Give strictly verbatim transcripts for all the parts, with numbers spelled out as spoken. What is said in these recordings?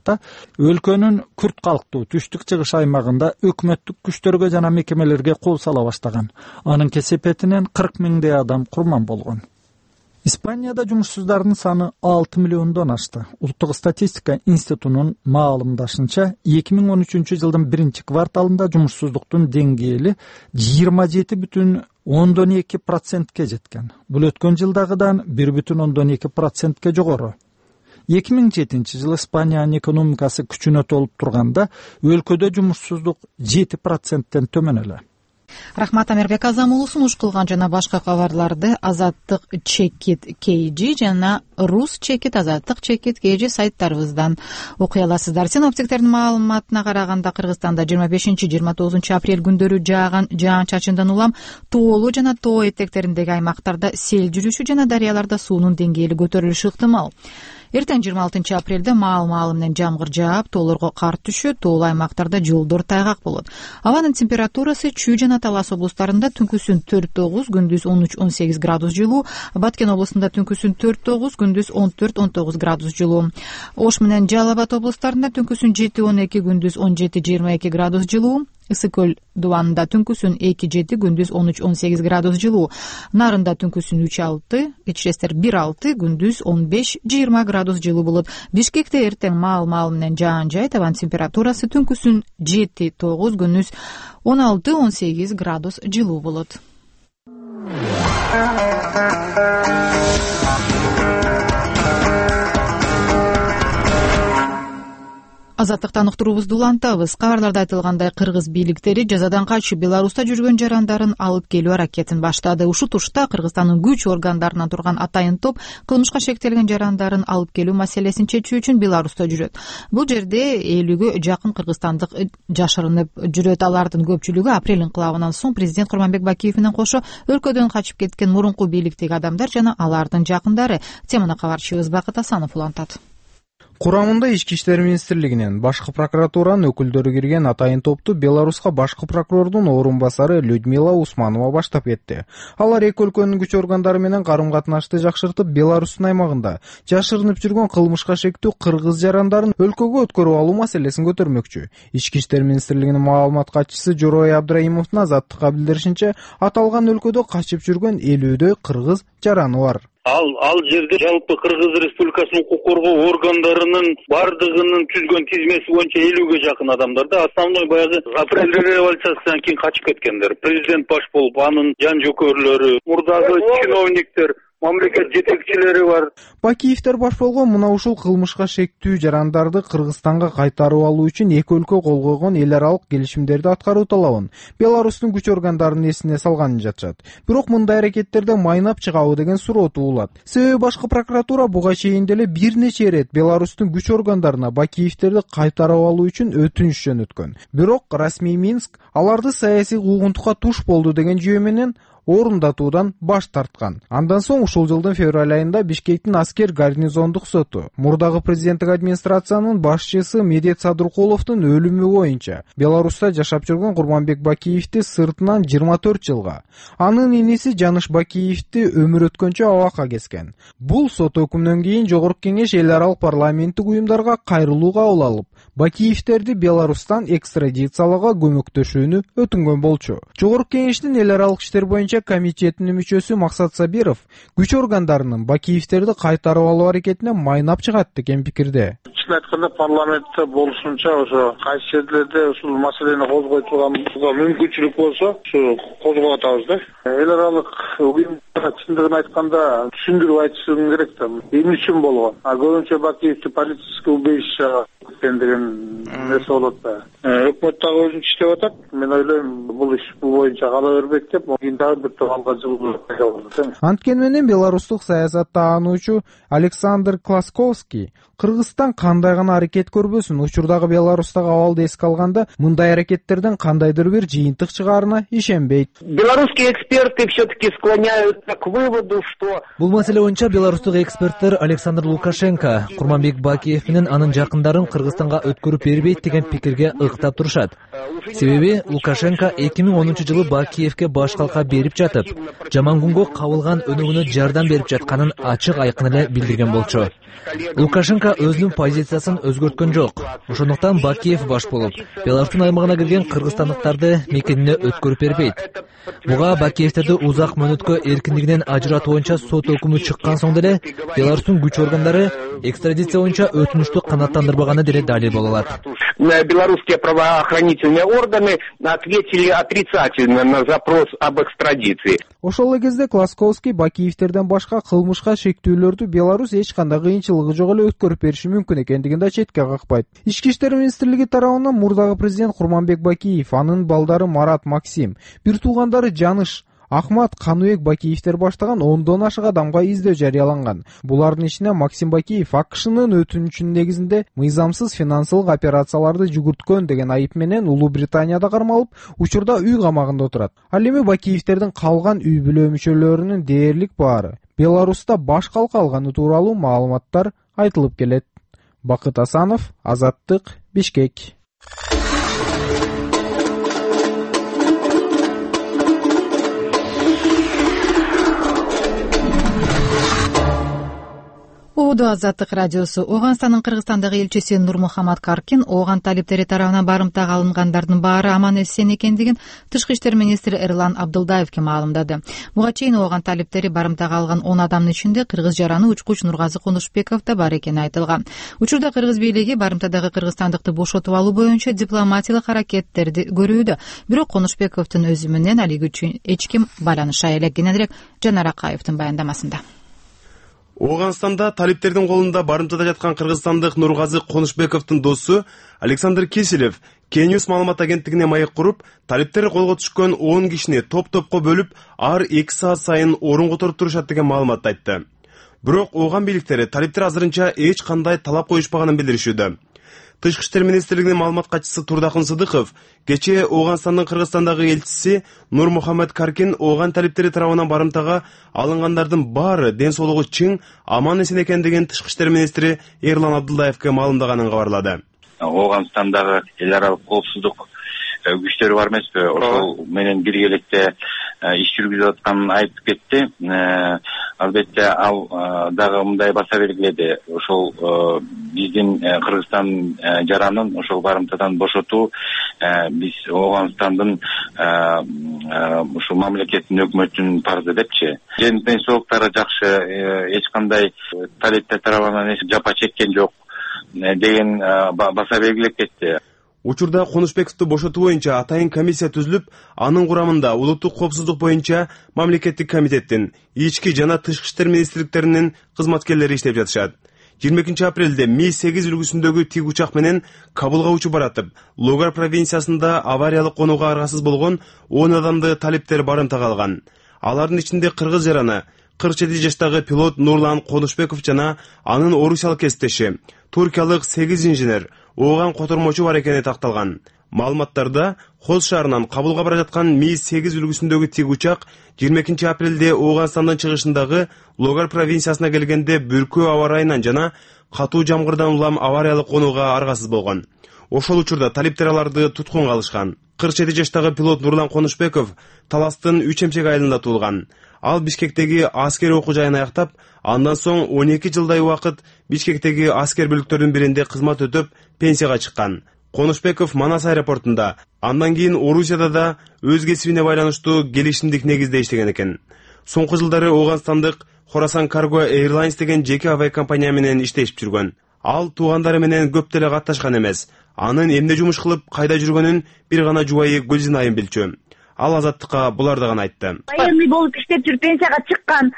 тарата өлкөнүн күрд калктуу түштүк чыгыш аймагында өкмөттүк күчтөргө жана мекемелерге кол сала баштаган. Анын кесепетинен кырк миңдей адам курман болгон. Испанияда жумушсуздардын саны алты миллиондон ашты. Улуттук статистика институтунун маалымдашынча, эки миң он үчүнчү жылдын биринчи кварталында жумушсуздуктун деңгээли жыйырма жети бүтүн ондон эки процентке жеткен. Бул өткөн жылдагыдан бир бүтүн ондон эки процентке жогору. эки миң жетинчи жылы Испаниянын экономикасы күчүнө толуп турганда өлкөдө жумушсуздук жети проценттен төмөн эле. Рахмат, Амирбек Азамулу. Сунуш кылган жана башка кабарларды Азаттык чекит kg жана Рус чекит Азаттык чекит kg сайттарыбыздан окуй аласыздар. Синоптиктердин маалыматына караганда Кыргызстанда жыйырма бешинчи жыйырма тогузунчу апрель күндөрү жааган жаан-чачындан улам тоолуу жана тоо этектериндеги аймактарда сел жүрүшү жана дарыяларда суунун деңгээли көтөрүлүшү ыктымал. Эртең жыйырма алтынчы апрелде маал-маалы менен жамгыр жаап, тоолорго кар түшөт, тоолуу аймактарда жолдор тайгак болот. Абанын температурасы Чүй жана Талас облустарында түнкүсүн төрт тогуз, күндүз он үч он сегиз градус жылуу, Баткен облусунда түнкүсүн төрт тогуз, күндүз он төрт он тогуз градус жылуу. Ош менен Жалал Абад облустарында түнкүсүн жети он эки, күндүз он жети жыйырма эки градус жылуу. Ысык көл дубанында түнкүсүн эки жети, күндүз он үч он сегиз градус жылуу. Нарында түнкүсүн үч алты, кечиресиздер бир алты, күндүз он беш жыйырма градус жылуу болот. Бишкекте эртең маал-маал менен жаан жайт, абанын температурасы түнкүсүн жети тогуз, күндүз он алты он сегиз градус жылуу болот. Азаттыктан уктуруубузду улантабыз. Кабарларда айтылгандай, кыргыз бийликтери жазадан качып Беларуста жүргөн жарандарын алып келүү аракетин баштады. Ушул тушта Кыргызстандын күч органдарынан турган атайын топ кылмышка шектелген жарандарын алып келүү маселесин чечүү үчүн Беларуста жүрөт. Бул жерде элүүгө жакын кыргызстандык жашырынып жүрөт. Алардын көпчүлүгү апрель инкылабынан соң президент Курманбек Бакиев менен кошо өлкөдөн качып кеткен мурунку бийликтеги адамдар жана алардын жакындары. Теманы кабарчыбыз Бакыт Асанов улантат. Курамында Ички иштер министрлигинен, башкы прокуратуранын өкүлдөрү кирген атайын топту Беларуска башкы прокурордун орун басары Людмила Усманова баштап кетти. Алар эки өлкөнүн күч органдары менен карым-катнашты жакшыртып, Беларустун аймагында жашырынып жүргөн кылмышка шектүү кыргыз жарандарын өлкөгө өткөрүп алуу маселесин көтөрмөкчү. Ички иштер министрлигинин маалымат катчысы Жорой Абдраимовдун Азаттыкка билдиришинче, аталган өлкөдө качып жүргөн элүүдөй кыргыз жараны бар. Ал ал жерде жалпы Кыргыз Республикасынын укук коргоо органдарынын бардыгынын түзгөн тизмеси боюнча элүүгө жакын адамдар да основной баягы апрель революциясынан кийин качып кеткендер. Президент баш болуп, анын жан жөкөрлөрү, мурдагы чиновниктер, мамлекет жетекчилери бар. Бакиевдер баш болгон мына ушул кылмышка шектүү жарандарды Кыргызстанга кайтарып алуу үчүн эки өлкө кол койгон эл аралык келишимдерди аткаруу талабын Беларустун күч органдарынын эсине салганын жатышат. Бирок мындай аракеттерде майнап чыгабы деген суроо туулат. Себеби башкы прокуратура буга чейин деле бир нече ирет Беларустун күч органдарына Бакиевдерди кайтарып алуу үчүн өтүнүш жөнөткөн. Бирок расмий Минск аларды саясий куугунтукка туш болду деген жүйө менен орундатуудан баш тарткан. Андан соң ушул жылдын февраль айында Бишкектин аскер гарнизондук соту мурдагы президенттик администрациянын башчысы Медет Садыркуловдун өлүмү боюнча Беларуста жашап жүргөн Курманбек Бакиевди сыртынан жыйырма төрт жылга, анын иниси Жаныш Бакиевди өмүр өткөнчө абакка кескен. Бул сот өкүмүнөн кийин Жогорку Кеңеш эл аралык парламенттик уюмдарга кайрылуу кабыл алып, Бакиевдерди Беларустан экстрадициялоого көмөктөшүүнү өтүнгөн болчу. Жогорку Кеңештин эл аралык иштер боюнча комитетинин мүчөсү Максат Сабиров күч органдарынын Бакиевдерди кайтарып алуу аракетине майнап чыгат деген пикирде. Чын айтканда парламентте болушунча ошо кайсы жерлерде ушул маселени козгой турганга мүмкүнчүлүк болсо, ушу козгоп атабыз да. Эл аралык уюмдар чындыгын айтканда түшүндүрүп айтышым керек да. Эмне үчүн болгон? А көбүнчө Бакиевди политическое убежище деген нерсе болот да. Өкмөт дагы өзүнчө иштеп атат. Мен ойлойм, бул иш бул боюнча кала бербек деп, кийин дагы бир топ жылуу пайда болот. Анткени менен беларустук саясаттаануучу Александр Класковский Кыргызстан кандай гана аракет көрбөсүн, учурдагы Беларустагы абалды эске алганда мындай аракеттерден кандайдыр бир жыйынтык чыгаарына ишенбейт. Белорусские эксперты все-таки склоняются к выводу, что... Бул маселе боюнча беларустук эксперттер Александр Лукашенко Курманбек Бакиев менен анын жакындарын Кыргызстанга өткөрүп бербейт деген пикирге ыктап турушат. Себеби Лукашенко эки миң онунчу жылы Бакиевке баш калка берип жатып, жаман күнгө кабылган өнүгүүнө жардам берип жатканын ачык айкын эле билдирген болчу. Лукашенко боюнча өзүнүн позициясын өзгөрткөн жок. Ошондуктан Бакиев баш болуп, Беларустун аймагына кирген кыргызстандыктарды мекенине өткөрүп бербейт. Буга Бакиевтерди узак мөөнөткө эркиндигинен ажыратуу боюнча сот өкүмү чыккан соң деле Беларустун күч органдары экстрадиция боюнча өтүнүштү канааттандырбаганы деле далил боло алат. Белорусские правоохранительные органы ответили отрицательно на запрос об экстрадиции. Ошол эле кезде Класковский Бакиевтерден башка кылмышка шектүүлөрдү Беларусь эч кандай кыйынчылыгы жок эле өткөрүп бериши мүмкүн экендигин да четке какпайт. Ички иштер министрлиги тарабынан мурдагы президент Курманбек Бакиев, анын балдары Марат, Максим, бир туугандары Жаныш, Ахмат, Каныбек Бакиевтер баштаган ондон ашык адамга издөө жарыяланган. Булардын ичинде Максим Бакиев АКШнын өтүнүчүнүн негизинде мыйзамсыз финансылык операцияларды жүгүрткөн деген айып менен Улуу Британияда кармалып, учурда үй камагында отурат. Ал эми Бакиевтердин калган үй бүлө мүчөлөрүнүн дээрлик баары Беларуста баш калка алганы тууралуу маалыматтар айтылып келет. Бакыт Асанов, Азаттык, Бишкек. Убуду Азаттык радиосу. Ооганстандын Кыргызстандагы элчиси Нурмухамат Каркин ооган талиптери тарабынан барымтага алынгандардын баары аман эсен экендигин Тышкы иштер министри Эрлан Абдылдаевке маалымдады. Буга чейин ооган талиптери барымтага алган он адамдын ичинде кыргыз жараны учкуч Нургазы Конушбеков да бар экени айтылган. Учурда кыргыз бийлиги барымтадагы кыргызстандыкты бошотуп алуу боюнча дипломатиялык аракеттерди көрүүдө. Бирок Конушбековдун өзү менен алиги үчүн эч ким байланыша элек. Кененирээк Жанар Акаевдин баяндамасында. Ооганстанда талиптердин колунда барымтада жаткан кыргызстандык Нургазы Конушбековдун досу Александр Киселев Кенюс маалымат агенттигине маек куруп, талиптер колго түшкөн он кишини топ-топко бөлүп, ар эки саат сайын орун которуп турушат деген маалыматты айтты. Бирок ооган бийликтери талиптер азырынча эч кандай талап коюшпаганын билдиришүүдө. Тышкы иштер министрлигинин маалымат катчысы Турдакын Сыдыков кечээ Ооганстандын Кыргызстандагы элчиси Нурмухамат Каркин ооган талиптери тарабынан барымтага алынгандардын баары ден соолугу чың, аман эсен экендигин Тышкы иштер министри Эрлан Абдылдаевке маалымдаганын кабарлады. Ооганстандагы эл аралык коопсуздук күчтөрү бар эмеспи? Ошол менен биргеликте иш жүргүзүп атканын айтып кетти. Албетте ал дагы мындай баса белгиледи. Ошол биздин Кыргызстан жаранын ошол барымтадан бошотуу биз Ооганстандын ушул мамлекеттин өкмөтүнүн парызы депчи. Ден соолуктары жакшы, эч кандай талиптер тарабынан жапа чеккен жок деген баса белгилеп кетти. Учурда Конушбековду бошотуу боюнча атайын комиссия түзүлүп, анын курамында улуттук коопсуздук боюнча мамлекеттик комитеттин, ички жана тышкы иштер министрликтеринин кызматкерлери иштеп жатышат. жыйырма экинчи апрелде Ми сегиз үлгүсүндөгү тик учак менен Кабылга учуп баратып, Логар провинциясында авариялык конууга аргасыз болгон он адамды талиптер барымтага алган. Алардын ичинде кыргыз жараны, кырк жети жаштагы пилот Нурлан Конушбеков жана анын орусиялык кесиптеши, туркиялык сегиз инженер, ооган котормочу бар экени такталган. Маалыматтарда Хоз шаарынан Кабылга бара жаткан Ми сегиз үлгүсүндөгү тик учак жыйырма экинчи апрелде Ооганстандын чыгышындагы Логар провинциясына келгенде бүркөө аба ырайынан жана катуу жамгырдан улам авариялык конууга аргасыз болгон. Ошол учурда талиптер аларды туткунга алышкан. кырк жети жаштагы пилот Нурлан Конушбеков Таластын үч эмчек айылында туулган. Ал Бишкектеги аскер окуу жайын аяктап, андан соң он эки жылдай убакыт Бишкектеги аскер бүлүктөрүнүн биринде кызмат өтөп, пенсияга чыккан. Конушбеков Манас аэропортунда, андан кийин Орусияда да өз кесибине байланыштуу келишимдик негизде иштеген экен. Соңку жылдары Ооганстандык Хорасан Cargo Airlines деген жеке авиа компания менен иштешип жүргөн. Ал туугандары менен көп деле катташкан эмес. Анын эмне жумуш кылып, кайда жүргөнүн бир гана жубайы Гүлзин айым билчү. Ал Азаттыкка буларды гана айтты. Военный болуп иштеп жүрүп пенсияга чыккан.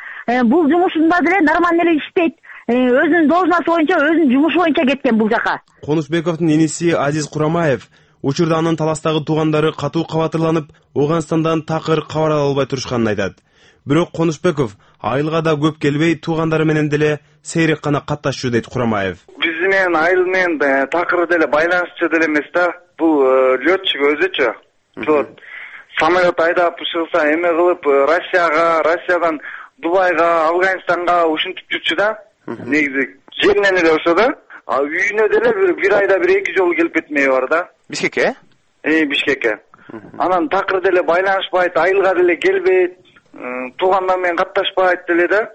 Бул жумушунда деле нормально эле иштейт. Өзүнүн должносту боюнча, өзүнүн жумушу боюнча кеткен бул жака. Конушбековдун иниси Азиз Курамаев учурда анын Таластагы туугандары катуу кабатырланып, Ооганстандан такыр кабар ала албай турушканын айтат. Бирок Конушбеков айылга да көп келбей, туугандары менен деле сейрек гана катташчу дейт Курамаев. Биз менен айыл менен такыр деле байланышчу деле эмес да. Бул лётчик өзүчө. Пилот самолет айдап чыгса эме кылып Россияга, Россиядан Дубайга, Афганистанга ушинтип жүрчү да. Негизи жеринен эле ошо да. А үйүнө деле бир бир айда бир эки жолу келип кетмеги бар да. Бишкекке? Э, Бишкекке. Анан такыр деле байланышпайт, айылга деле келбейт, туугандар менен катташпайт деле да.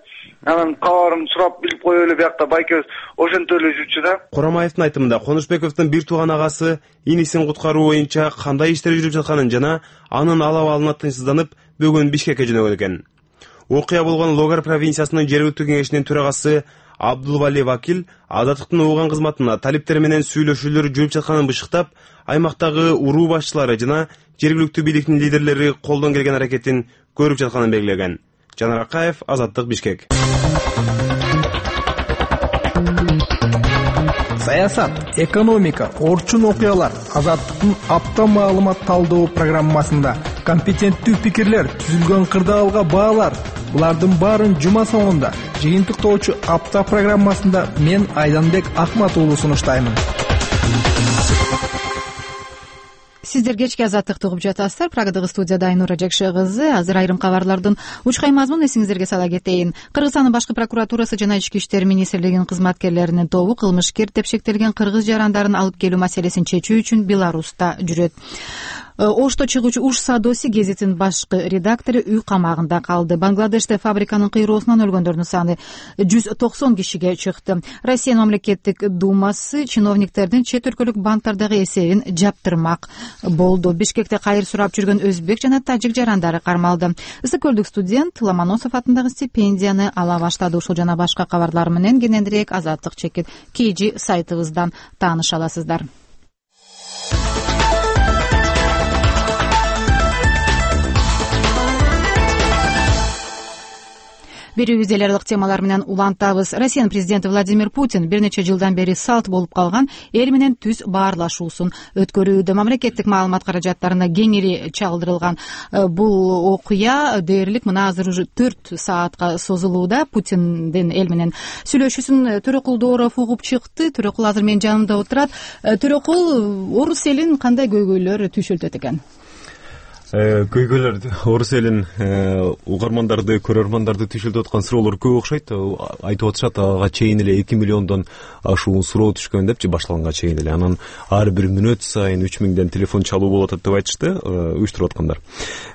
анан кабарын сурап билип коелу эле, биякта байкебиз ошентип эле жүрчү да. Курамаевдин айтымында Конушбековдун бир тууган агасы инисин куткаруу боюнча кандай иштер жүрүп жатканын жана анын ала абалына тынчсызданып бүгүн Бишкекке жөнөгөн экен. Окуя болгон Логар провинциясынын жергиликтүү кеңешинин төрагасы Абдулвали Вакил Азаттыктын уган кызматына талиптер менен сүйлөшүүлөр жүрүп жатканын бышыктап, аймактагы уруу башчылары жана жергиликтүү бийликтин лидерлери колдон келген аракетин көрүп жатканын белгилеген. Жанар Акаев, Азаттык, Бишкек. Саясат, экономика, орчун окуялар Азаттыктын апта маалымат талдоо программасында компетенттүү пикирлер, түзүлгөн кырдаалга баалар. Булардын баарын жума соңунда жыйынтыктоочу апта программасында мен Айданбек Акмат уулу сунуштаймын. Сиздер кечки Азаттыкты угуп жатасыздар. Прагадагы студияда Айнура Жакшы кызы. Азыр айрым кабарлардын учкай мазмунун эсиңиздерге сала кетейин. Кыргызстандын башкы прокуратурасы жана Ички иштер министрлигинин кызматкерлеринин тобу кылмышкер деп шектелген кыргыз жарандарын алып келүү маселесин чечүү үчүн Беларуста жүрөт. Ошто чыгуучу Уш Садоси гезитинин башкы редактору үй камагында калды. Бангладеште фабриканын кыйроосунан өлгөндөрдүн саны жүз токсон кишиге чыкты. Россия мамлекеттик думасы чиновниктердин чет өлкөлүк банктардагы эсебин жаптырмак болду. Бишкекте кайыр сурап жүргөн өзбек жана тажик жарандары кармалды. Ысык көлдүк студент Ломоносов атындагы стипендияны ала баштады. Ушул жана башка кабарлар менен кененирээк Азаттык чекит kg сайтыбыздан тааныша аласыздар. Берүүбүз эл аралык темалар менен улантабыз. Россиянын президенти Владимир Путин бир нече жылдан бери салт болуп калган эл менен түз баарлашуусун өткөрүүдө. Мамлекеттик маалымат каражаттарына кеңири чалдырылган бул окуя дээрлик мына азыр уже төрт саатка созулууда. Путиндин эл менен сүйлөшүүсүн Төрөкул Дооров угуп чыкты. Төрөкул азыр менин жанымда отурат. Төрөкул, орус элин кандай көйгөйлөр түйшөлтөт экен? Көйгөйлөр орус элин угармандарды, көрөрмандарды түйшөлтүп аткан суроолор көп окшойт. Айтып атышат, ага чейин эле эки миллиондон ашуун суроо түшкөн депчи, башталганга чейин эле. Анан ар бир мүнөт сайын үч миңден телефон чалуу болуп атат деп айтышты уюштуруп аткандар.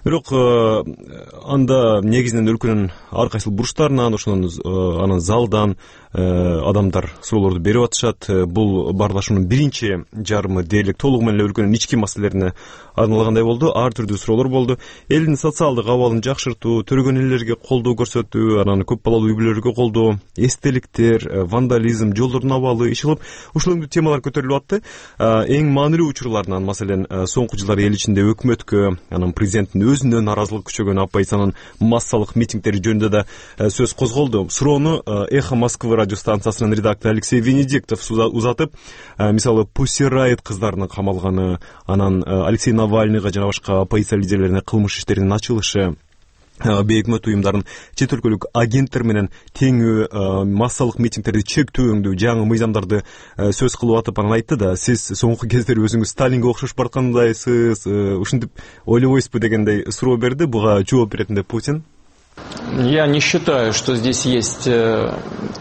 Бирок анда негизинен өлкөнүн ар кайсыл бурчтарынан, ошонун анан залдан адамдар суроолорду берип атышат. Бул баарлашуунун биринчи жарымы дээрлик толугу менен эле өлкөнүн ички маселелерине арналгандай болду. Ар түрдүү суроолор болду. Элдин социалдык абалын жакшыртуу, төрөгөн эллерге колдоо көрсөтүү, анан көп балалуу үй бүлөлөргө колдоо, эстеликтер, вандализм, жолдордун абалы иш кылып, ушул темалар көтөрүлүп атты. Эң маанилүү учурларынан, маселен, соңку жылдары эл ичинде өкмөткө, анан президенттин өзүнө нааразылык күчөгөн оппозициянын массалык митингдери жөнүндө да сөз козголду. Суроону Эхо Москвы радио станциясынын редактору Алексей Венедиктов узатып, мисалы Pussy Riot кыздарынын камалганы, анан Алексей Навальныйга жана башка оппозиция лидерлерине кылмыш иштеринин ачылышы, бейөкмөт уюмдардын чет өлкөлүк агенттер менен теңүү массалык митингдерди чектөөңдү, жаңы мыйзамдарды сөз кылып атып анан айтты да, сиз соңку кездери өзүңүз Сталинге окшош бараткандайсыз, ушинтип ойлобойсузбу дегендей суроо берди. Буга жооп беретинде Путин: Я не считаю, что здесь есть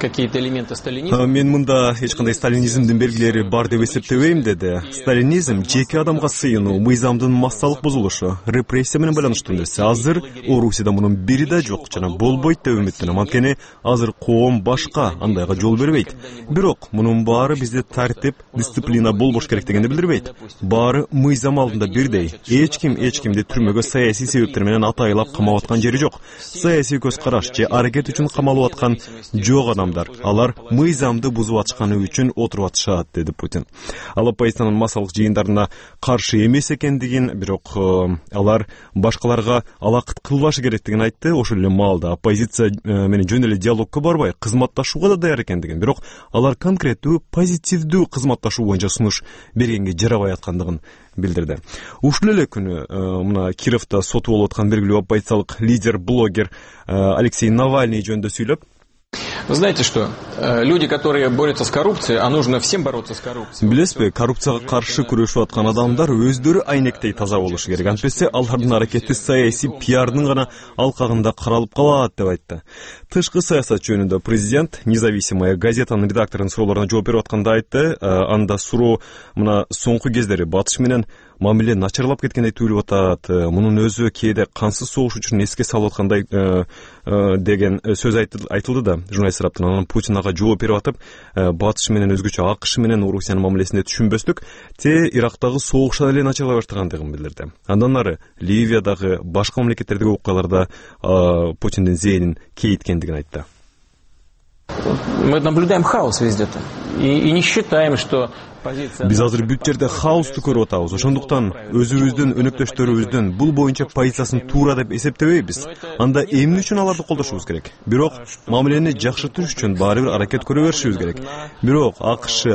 какие-то элементы сталинизма. Мен мында эч кандай сталинизмдин белгилери бар деп эсептебейм, деди. Сталинизм жеке адамга сыйынуу, мыйзамдын массалык бузулушу, репрессия менен байланыштуу нерсе. Азыр Орусияда мунун бири да жок жана болбойт деп үмүттөнөм. Анткени азыр коом башка, андайга жол бербейт. Бирок мунун баары бизде тартип, дисциплина болбош керек дегенди билдирбейт. Баары мыйзам алдында бирдей. Эч ким эч кимди түрмөгө саясий себептер менен атайлап камап аткан жери жок. Саясий көз караш же аракет үчүн камалып аткан жок адамдар. Алар мыйзамды бузуп атышканы үчүн отуруп атышат, деди Путин. Ал оппозициянын массалык жыйындарына каршы эмес экендигин, бирок алар башкаларга алакыт кылбашы керектигин айтты. Ошол эле маалда оппозиция менен жөн эле диалогко барбай, кызматташууга да даяр экендигин, бирок алар конкреттүү, позитивдүү кызматташуу боюнча сунуш бергенге жарабай аткандыгын билдирди. Ушул эле күнү мына Кировдо соту болуп аткан белгилүү оппозициялык лидер, блогер Алексей Навальный жөнүндө сүйлөп: Вы знаете что? Люди, которые борются с коррупцией, а нужно всем бороться с коррупцией. Билесизби, коррупцияга каршы күрөшүп аткан адамдар өздөрү айнектей таза болушу керек. Антпесе алардын аракети саясий пиардын гана алкагында каралып калат, деп айтты. Тышкы саясат жөнүндө президент Независимая газетанын редакторунун суроолоруна жооп берип атканда айтты. Анда суроо мына соңку кездери батыш менен мамиле начарлап кеткендей туюлуп атат. Мунун өзү кээде кансыз согуш үчүн эске салып аткандай деген сөз айтылды да журналист тараптан. Анан Путин ага жооп берип атып, батыш менен өзгөчө акш менен Орусиянын мамилесинде түшүнбөстүк, те Ирактагы согуштан эле начарлай баштагандыгын билдирди. Андан ары Ливиядагы башка мамлекеттердеги окуяларда Путиндин зээнин кейиткендигин айтты. Мы наблюдаем хаос везде-то и не считаем, что биз азыр бүт жерде хаосту көрүп атабыз. Ошондуктан өзүбүздүн өнөктөштөрүбүздүн бул боюнча позициясын туура деп эсептебейбиз. Анда эмне үчүн аларды колдошубуз керек? Бирок мамилени жакшыртыш үчүн баары бир аракет көрө беришибиз керек. Бирок АКШ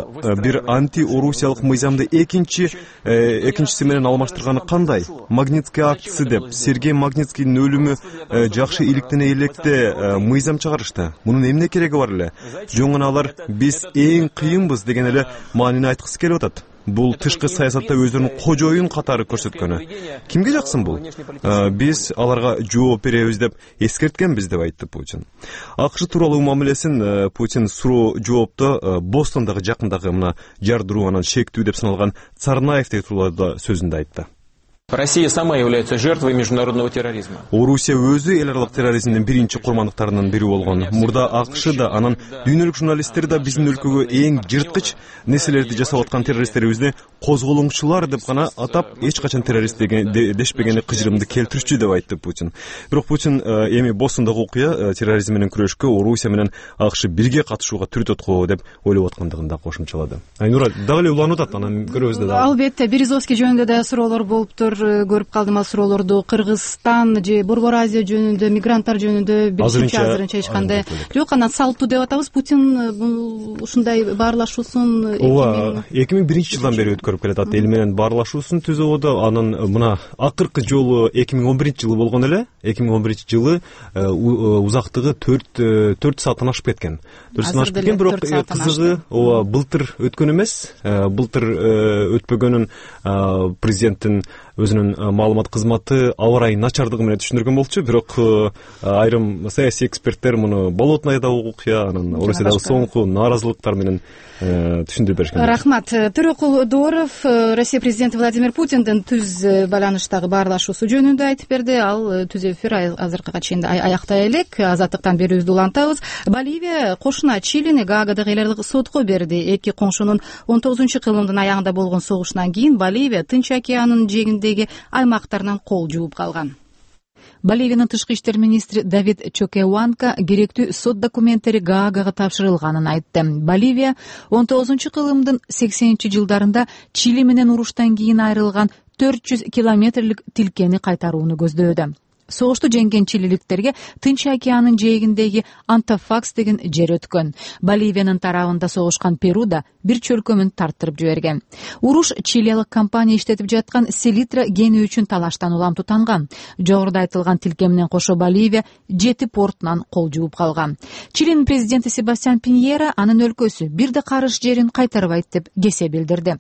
бир анти-орусиялык мыйзамды экинчи экинчиси менен алмаштырганы кандай? Магнитский актысы деп Сергей Магнитскийдин өлүмү жакшы иликтене электе мыйзам чыгарышты. Мунун эмне кереги бар эле? Жөн гана алар биз эң кыйынбыз деген эле маанини айткысы келип атат. Бул тышкы саясатта өздөрүнүн кожоюн катары көрсөткөнү. Кимге жаксын бул? Биз аларга жооп беребиз деп эскерткенбиз деп айтты Путин. АКШ тууралуу мамилесин Путин суроо жоопту Бостондагы жакындагы мына жардыруу анан шектүү деп саналган Царнаевдеги тууралуу сөзүндө айтты. Россия сама является жертвой международного терроризма. Орусия өзү эл аралык терроризмдин биринчи курмандыктарынын бири болгон. Мурда АКШ да, анан дүйнөлүк журналисттер да биздин өлкөгө эң жырткыч нерселерди жасап аткан террористтерибизди козголоңчулар деп гана атап, эч качан террорист деген дешпегени кыжырымды келтирүүчү деп айтты Путин. Бирок Путин эми Бостондагы окуя терроризм менен күрөшкө Орусия менен АКШ бирге катышууга түртөт го деп ойлоп аткандыгын да кошумчалады. Айнура дагы эле уланып атат, анан көрөбүз да. Албетте, Березовский жөнүндө да суроолор болуптур. Көрүп калдым ал суроолорду. Кыргызстан же Борбор Азия жөнүндө, мигранттар жөнүндө билишимче азырынча эч кандай жок. Анан салттуу деп атабыз. Путин ушундай баарлашуусун эки миң биринчи жылдан бери өткөрүп келатат. Эл менен баарлашуусун түзүүдө. Анан мына акыркы жолу эки миң он биринчи жылы болгон эле. эки миң он биринчи жылы узактыгы төрт сааттан ашып кеткен. төрт сааттан ашып кеткен, бирок кызыгы ооба былтыр өткөн эмес. Былтыр өтпөгөнүн президенттин өзүнүн маалымат кызматы аба ырайынын начардыгы менен түшүндүргөн болчу. Бирок айрым саясий эксперттер муну болотнайдагы окуя, анан Орусиядагы соңку нааразылыктар менен түшүндүрүп беришкен. Рахмат. Төрөкул Дооров Россия президенти Владимир Путиндин түз байланыштагы баарлашуусу жөнүндө айтып берди. Ал түз эфир азыркыга чейин аяктай элек. Азаттыктан берүүбүздү улантабыз. Боливия кошуна Чилини Гаагадагы эл аралык сотко берди. Эки коңшунун он тогузунчу кылымдын аягында болгон согушунан кийин Боливия Тынч океанынын жээгиндеги аймактарынан кол жууп калган. Боливиянын тышкы иштер министри Давид Чокеуанка керектүү сот документтери Гаагага тапшырылганын айтты. Боливия он тогузунчу кылымдын сексенинчи жылдарында Чили менен уруштан кийин айрылган төрт жүз километрлик тилкени кайтарууну көздөдө. Согушту жеңген чилиликтерге Тынч океанынын жээгиндеги Антофакс деген жер өткөн. Боливиянын тарабында согушкан Перу да бир чөлкөмүн тарттырып жиберген. Уруш чилиялык компания иштетип жаткан селитра кени үчүн талаштан улам тутанган. Жогоруда айтылган тилке менен кошо Боливия жети портунан кол жууп калган. Чилинин президенти Себастьян Пиньера анын өлкөсү бир да карыш жерин кайтарбайт деп кесе билдирди.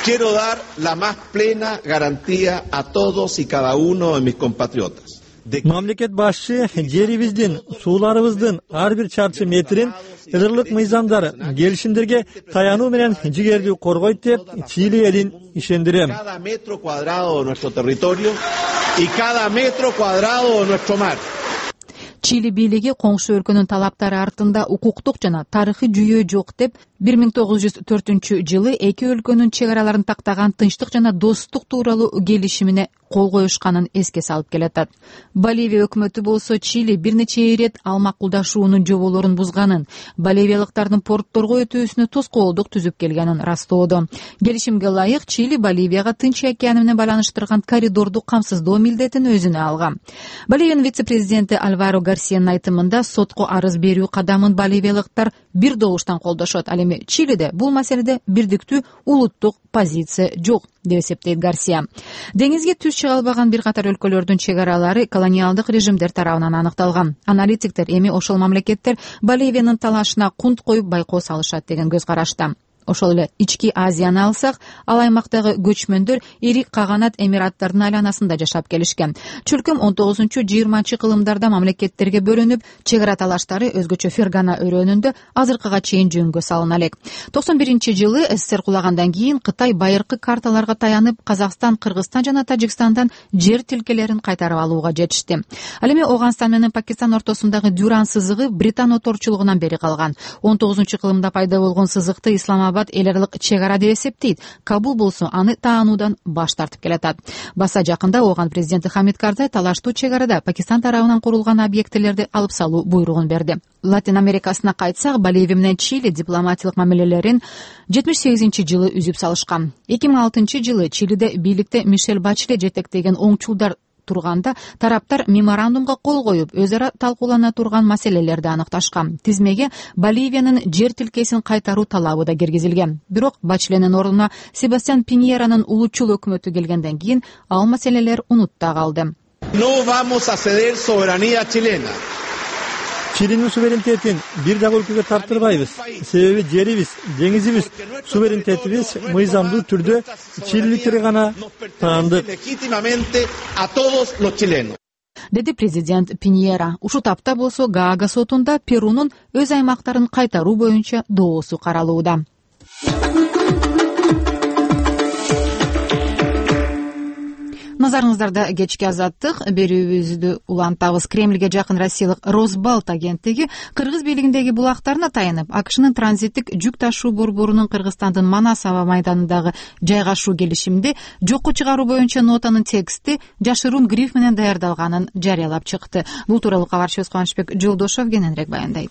Quiero dar la más plena garantía a todos y cada uno de mis compatriotas. Мамлекет башчы жерибиздин, сууларыбыздын ар бир чарчы метрин ылырлык мыйзамдар, келишимдерге таянуу менен жигердүү коргойт деп Чили элин ишендирем. Cada metro cuadrado de nuestro territorio y cada metro cuadrado de nuestro mar. Чили бийлиги коңшу өлкөнүн талаптары артында укуктук жана тарыхый жүйөө жок деп бир миң тогуз жүз төртүнчү жылы эки өлкөнүн чек араларын тактаган тынчтык жана достук тууралуу келишимине кол коюшканын эске салып келатат. Боливия өкмөтү болсо Чили бир нече ирет ал макулдашуунун жоболорун бузганын, боливиялыктардын портторго өтүүсүнө тоскоолдук түзүп келгенин растоодо. Келишимге ылайык Чили Боливияга Тынч океаны менен байланыштырган коридорду камсыздоо милдетин өзүнө алган. Боливиянын вице-президенти Альваро Гарсиянын айтымында сотко арыз берүү кадамын боливиялыктар бир добуштан колдошот. Ал эми Чилиде бул маселеде бирдиктүү улуттук позиция жок деп эсептейт Гарсия. Деңизге түз чыга албаган бир катар өлкөлөрдүн чек аралары колониалдык режимдер тарабынан аныкталган. Аналитиктер эми ошол мамлекеттер Боливиянын талашына кунт коюп байкоо салышат деген көз карашта. Ошол эле ички Азияны алсак, ал аймактагы көчмөндөр ири каганат эмираттардын айланасында жашап келишкен. Чөлкөм он тогузунчу жыйырманчы кылымдарда мамлекеттерге бөлүнүп, чек ара талаштары өзгөчө Фергана өрөөнүндө азыркыга чейин жөнгө салына элек. токсон биринчи жылы СССР кулагандан кийин Кытай байыркы карталарга таянып, Казакстан, Кыргызстан жана Тажикстандан жер тилкелерин кайтарып алууга жетишти. Ал эми Ооганстан менен Пакистан ортосундагы Дюран сызыгы Британ оторчулугунан бери калган. он тогузунчу кылымда пайда болгон сызыкты Исламабад эл аралык чек ара деп эсептейт. Кабул болсо аны таануудан баш тартып келатат. Баса жакында Ооган президенти Хамид Карзай талаштуу чек арада Пакистан тарабынан курулган объектилерди алып салуу буйругун берди. Латин Америкасына кайтсак, Боливия менен Чили дипломатиялык мамилелерин жетимиш сегизинчи жылы үзүп салышкан. эки миң алтынчы жылы Чилиде бийликте Мишель Бачле жетектеген оңчулдар турганда тараптар меморандумга кол коюп, өз ара талкуулана турган маселелерди аныкташкан. Тизмеге Боливиянын жер тилкесин кайтаруу талабы да киргизилген. Бирок Бачленин ордуна Себастьян Пиньеранын улутчул өкмөтү келгенден кийин ал маселелер унутта калды. No vamos a ceder soberanía chilena. Чилинин суверенитетин бир дагы өлкөгө тартырбайбыз. Себеби жерибиз, деңизибиз, суверенитетибиз мыйзамдуу түрдө чилиликтерге гана таандык. Деди президент Пиньера. Ушул тапта болсо Гаага сотунда Перунун өз аймактарын кайтаруу боюнча доосу каралууда. Назарыңыздарда кечки азаттык берүүбүздү улантабыз. Кремльге жакын Россиялык Росбалт агенттиги Кыргыз бийлигиндеги булактарына таянып, АКШнын транзиттик жүк ташуу борборунун Кыргызстандын Манас аба майданындагы жайгашуу келишимди жокко чыгаруу боюнча нотанын тексти жашыруун гриф менен даярдалганын жарыялап чыкты. Бул тууралуу кабарчыбыз Кубанычбек Жолдошов кененирээк баяндайт.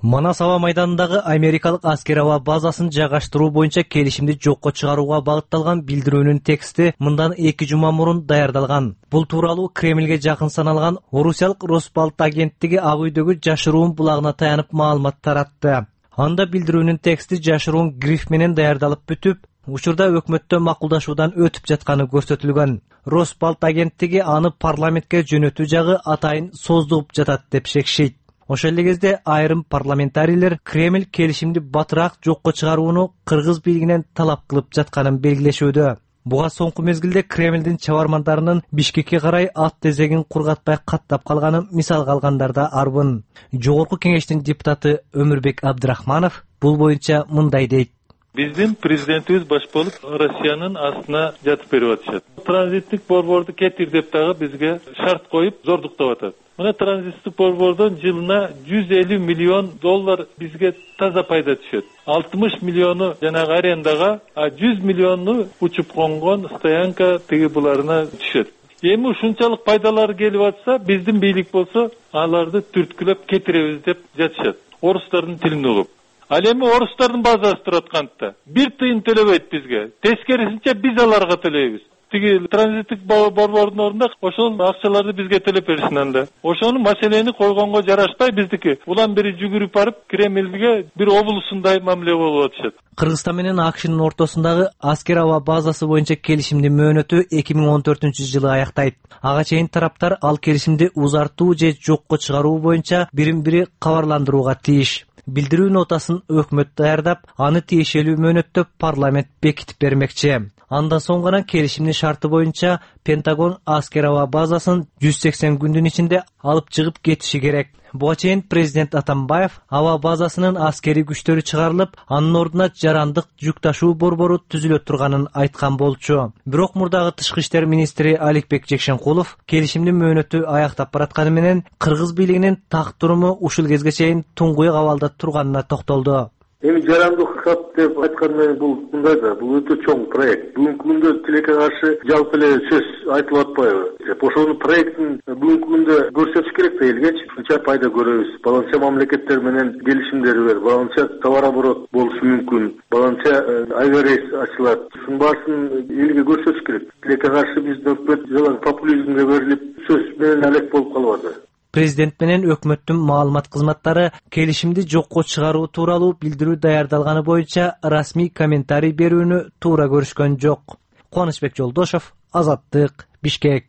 Манас аба майданындагы америкалык аскер аба базасын жайгаштыруу боюнча келишимди жокко чыгарууга багытталган билдирүүнүн тексти мындан эки жума мурун даярдалган. Бул тууралуу Кремльге жакын саналган Орусиялык Росбалт агенттиги ак үйдөгү жашыруун булагына таянып маалымат таратты. Анда билдирүүнүн тексти жашыруун гриф менен даярдалып бүтүп, учурда өкмөттө макулдашуудан өтүп жатканы көрсөтүлгөн. Росбалт агенттиги аны парламентке жөнөтүү жагы атайын создугуп жатат деп шекишет. Ошол эле кезде айрым парламентарийлер Кремль келишимди батыраак жокко чыгарууну Кыргыз бийлигинен талап кылып жатканын белгилешүүдө. Буга соңку мезгилде Кремльдин чабармандарынын Бишкекке карай ат тезегин кургатпай каттап калганын мисалга алгандар да арбын. Жогорку кеңештин депутаты Өмүрбек Абдрахманов бул боюнча мындай дейт. Биздин президентибиз баш болуп Россиянын астына жатып берип атышат. Транзиттик борборду кетир деп дагы бизге шарт коюп зордуктап атат. Мына транзиттик борбордон жылына жүз элүү миллион доллар бизге таза пайда түшөт. алтымыш миллиону жанагы арендага, а жүз миллиону учуп конгон стоянка тиги буларына түшөт. Эми ушунчалык пайдалар келип атса, биздин бийлик болсо аларды түрткүлөп кетиребиз деп жатышат. Орустардын тилин угуп. Ал эми орустардын базасы турат кантта. Бир тыйын төлөбөйт бизге. Тескерисинче биз аларга төлөйбүз. Тиги транзиттик борбордун ордунда ошол акчаларды бизге төлөп беришин анда. Ошону маселени койгонго жарашпай биздики. Улам бери жүгүрүп барып Кремльге бир облусундай мамиле болуп атышат. Кыргызстан менен АКШнын ортосундагы аскер аба базасы боюнча келишимдин мөөнөтү эки миң он төртүнчү жылы аяктайт. Ага чейин тараптар ал келишимди узартуу же жокко чыгаруу боюнча бирин-бири кабарландырууга тийиш. Билдирүү нотасын өкмөт даярдап, аны тиешелүү мөөнөттө парламент бекитип бермекчи. Андан соң гана келишимдин шарты боюнча Пентагон аскер аба базасын жүз сексен күндүн ичинде алып чыгып кетиши керек. Буга чейин президент Атамбаев аба базасынын аскери күчтөрү чыгарылып, анын ордуна жарандык жүк ташуу борбору түзүлө турганын айткан болчу. Бирок мурдагы тышкы иштер министри Аликбек Жекшенкулов келишимдин мөөнөтү аяктап баратканы менен Кыргыз бийлигинин так туруму ушул кезге чейин туңгуйук абалда турганына токтолду. Эми жарандык хат деп айткан менен бул мындай да, бул өтө чоң проект. Бүгүнкү күндө тилекке каршы жалпы эле сөз айтылып атпайбы? Ошонун проектин бүгүнкү күндө көрсөтүш керек да элгечи. Ушунча пайда көрөбүз. Баланча мамлекеттер менен келишимдер бар. Баланча товар оборот болушу мүмкүн. Баланча авиарейс ачылат. Ушунун баасын элге көрсөтүш керек. Тилекке каршы биздин өкмөт жалаң популизмге берилип сөз менен алек болуп калбады. Президент менен өкмөттүн маалымат кызматтары келишимди жокко чыгаруу тууралуу билдирүү даярдалганы боюнча расмий комментарий берүүнү туура көрүшкөн жок. Кубанычбек Жолдошов, Азаттык, Бишкек.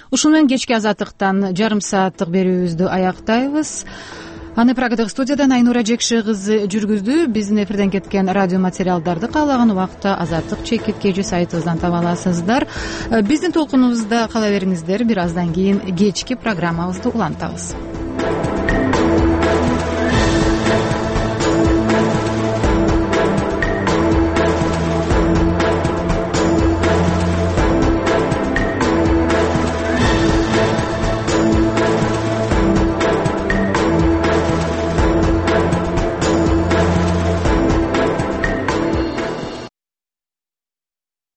Ушуну менен кечки азаттыктан жарым сааттык берүүбүздү аяктайбыз. аны прагадагы студиядан Айнура Жекши кызы жүргүздү. Биздин эфирден кеткен радио материалдарды каалаган убакта азаттык чекит kg сайтыбыздан таба аласыздар. Биздин толкунубузда кала бериңиздер. Бир аздан кийин кечки программабызды улантабыз.